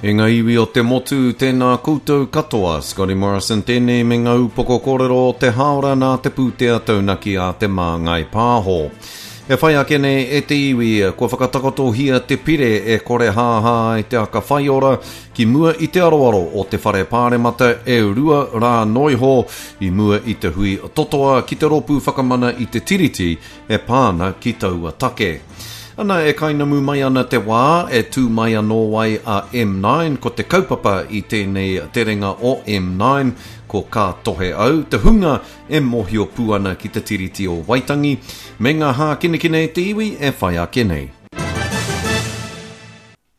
E ngā iwi o te motu, tēnā koutou katoa. Scotty Morrison tēnei me ngā upoko kōrero o te hāora nā te pūtea taunaki a Te Māngai Pāho. E whai ake nei e te iwi, kua whakatakotohia te pire e korehāhā ai te aka whaiora ki mua i te aroaro o te Whare Pāremata e rua rā noiho i mua i te hui totoa ki te Rōpū Whakamana i te Tiriti e pā ana ki taua take. Ana, e kainamu mai ana te wā e tū mai anō ai a M9, ko te kaupapa i tēnei terenga o M9, ko Ka Tohe Au, te hunga e mōhio pū ana ki te Tiriti o Waitangi, me ngā hākinakina e te iwi e whai ake nei.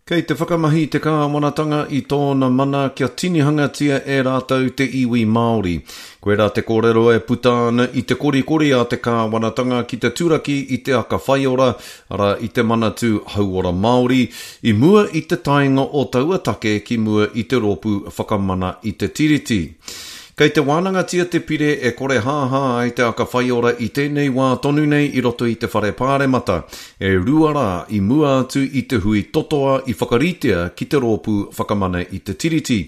Kei te whakamahi te kāwanatanga i tōna mana kia tinihangatia e rātou te iwi Māori. Koirā te kōrero e puta ana i te korikori a te kāwanatanga ki te turaki i te aka whaiora, arā i te Manatū Hauora Māori, i mua i te taenga o taua take ki mua i te Rōpū Whakamana i te Tiriti. Kei te wānangatia te pire e korehāhā ai te aka whaiora i tēnei wā tonu nei i roto i te Whare Pāremata, e rua rā i mua atu i te hui totoa i whakaritea ki te Rōpū Whakamana i te Tiriti.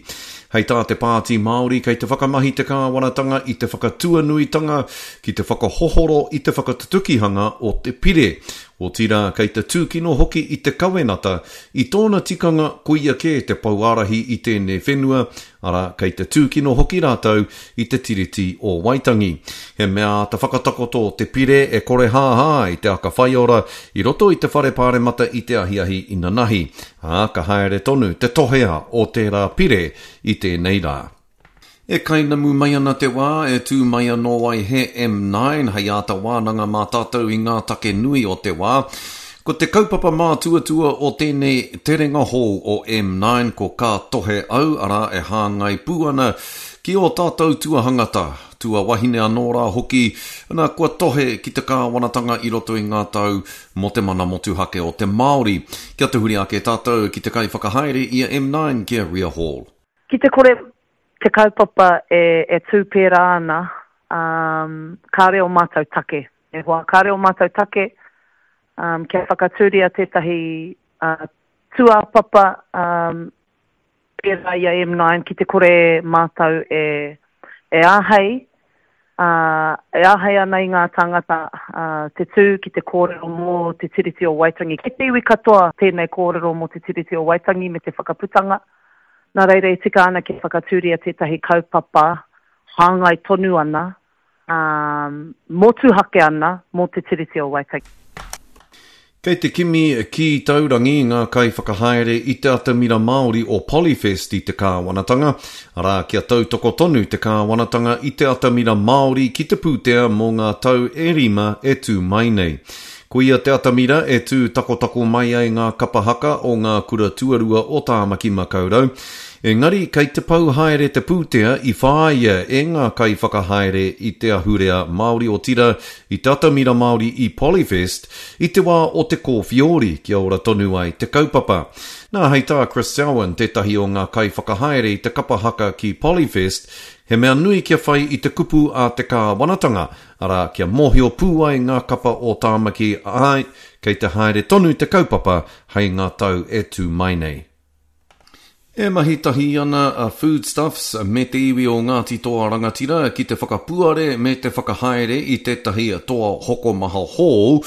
Hei tā te Pāti Māori kei te whakamahi te kāwanatanga i te whakatuanuitanga ki te whakahohoro i te whakatutukihanga o te pire, otirā kei te tūkino hoki i te kawenata i tōna tikanga koia kē te pouārahi i tēnei whenua, arā, kei te tūkino hoki rātou i te Tiriti o Waitangi. He mea āta whakatakoto te pire e korehāhā ai te aka whaiora i roto i te Whare Pāremata i te ahiahi inanahi, ā, ka haere tonu te tohea o tērā pire i tēnei rā. E kainamu mai ana te wā e tū mai anō ai he M9 hei āta wānanga mā tātou i ngā take nui o te wā. Ko te kaupapa mātuatua o tēnei terenga hou o M9 ko Ka Tohe Au, arā, e hāngai pū ana ki ō tātou tuahangata, tuawahine anō rā hoki, ana, kua tohe ki te kāwanatanga i roto i ngā tau mō te mana motuhake o te Māori. Kia tahuri ake tātou ki te kaiwhakahaere i a M9, ki a Ria Hall. Ki te kore te kaupapa e tū pērā ana, kāore ō mātou take. E hoa, kāore ō mātou take kia whakatūria tētahi tūāpapa pērā i a M9 ki te kore mātou e āhei, e āhei ana i ngā tāngata te tū ki te kōrero mō Te Tiriti o Waitangi. Kei te iwi katoa tēnei kōrero mō Te Tiriti o Waitangi me te whakaputanga. Nā reira e tika ana kia whakatūria tētahi kaupapa hāngai tonu ana, ā, motuhake ana mō Te Tiriti o Waitangi. Kei te kimi kī taurangi ngā kaiwhakahaere i te atamira Māori o Polyfest i te kāwanatanga, arā, kia tautoko tonu te kāwanatanga i te atamira Māori ki te pūtea mō ngā tau e rima e tū mai nei. Koia te atamira e tū takotako mai ai ngā kapa haka o ngā kura tuarua o Tāmaki Makaurau. Engari kei te pau haere te pūtea i whāia e ngā kaiwhakahaere i te ahurea Māori otirā i te atamira Māori i Polyfest i te wā o te kōwhiori kia ora tonu ai te kaupapa. Nā, hei tā Chris Selwyn, tētahi o ngā kaiwhakahaere i te kapa haka ki Polyfest, he mea nui kia whai i te kupu a te kāwanatanga, Arā, kia mōhio pū ai ngā kapa o Tāmaki, āe, kei te haere tonu te kaupapa hei ngā tau e tū mai nei. E mahi tahi ana a Foodstuffs me te iwi o Ngāti Toa Rangatira ki te whakapuare me te whakahaere i tētahi toa hokomaha hou.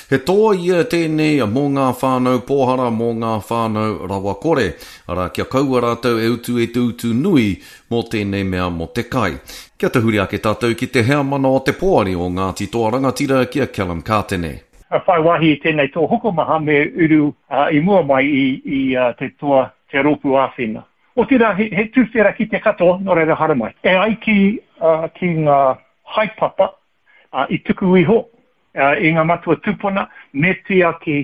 He toa ia tēnei mō ngā whānau pōhara, mō ngā whānau rawakore, arā, kia kaua rātou e utu i te utu nui mō tēnei mea mō te kai. Kia tahuri ake tātou ki te heamana o te poari o Ngāti Toa Rangatira ki a Callum Kātene. Ka whai wāhi i tēnei toa hokomaha me uru i mua mai i te toa te rōpū āwhina. Otirā he tuwhera ki te katoa, nō reira haramai. E ai ki ki ngā haepapa i tuku iho i ngā matua tūpuna me tiaki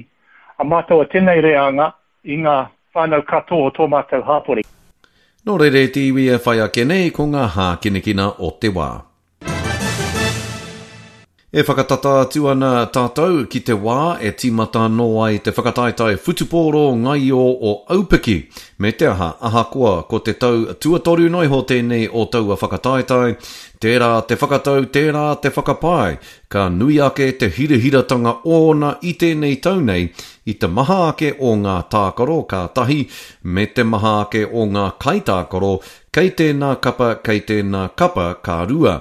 a mātou o tēnei reanga i ngā whānau katoa o tō mātou hāpori. Nō reira e te iwi e whai ake nei ko ngā hākinakina o te wā. E whakatata atu ana tātou ki te wā e tīmata anō ai te whakataetae whutupōro ngaio o Aupiki, me te aha, ahakoa ko te tau tuatoru noa iho tēnei o taua whakataetae, tērā te whakatau, tērā te whakapae, ka nui ake te hirahiratanga ōna i tēnei tau nei i te maha ake o ngā tākaro ka tahi, me te maha ake o ngā kaitākaro Kei tēnā kapa, kei tēnā kapa, ka rua.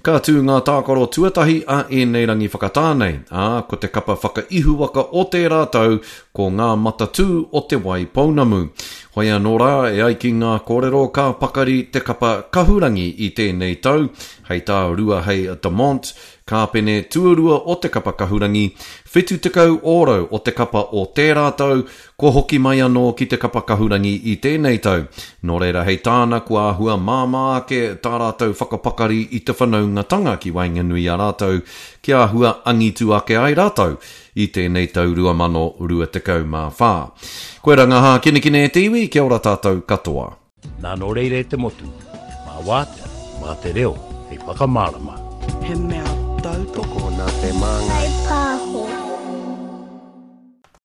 Ka tū ngā tākaro tuatahi a ēnei rangi whakatā nei, ā, ko te kapa whakaihuwaka o tērā tau ko Ngā Matatū o Te Wai Pounamu. Hoi anō rā, e ai ki ngā kōrero ka pakari te kapa kahurangi i tēnei tau, hei tā Ruahei Demont, kāpene tuarua o te kapa kahurangi, 70 ōrau o te kapa o tērā tau, Kua hoki mai anō ki te kapa kahurangi i tēnei tau, nō reira hei tāna kua āhua māmā ake tā rātou whakapakari i te whanaungatanga ki waenganui i a rātou kia āhua angitu ake ai rātou i tēnei tau 2024. Koirā ngā hākinakina e te iwi, kia ora tātou katoa. Nā nō reira e te motu, mā Wātea, mā te reo hei whakamārama. He mea.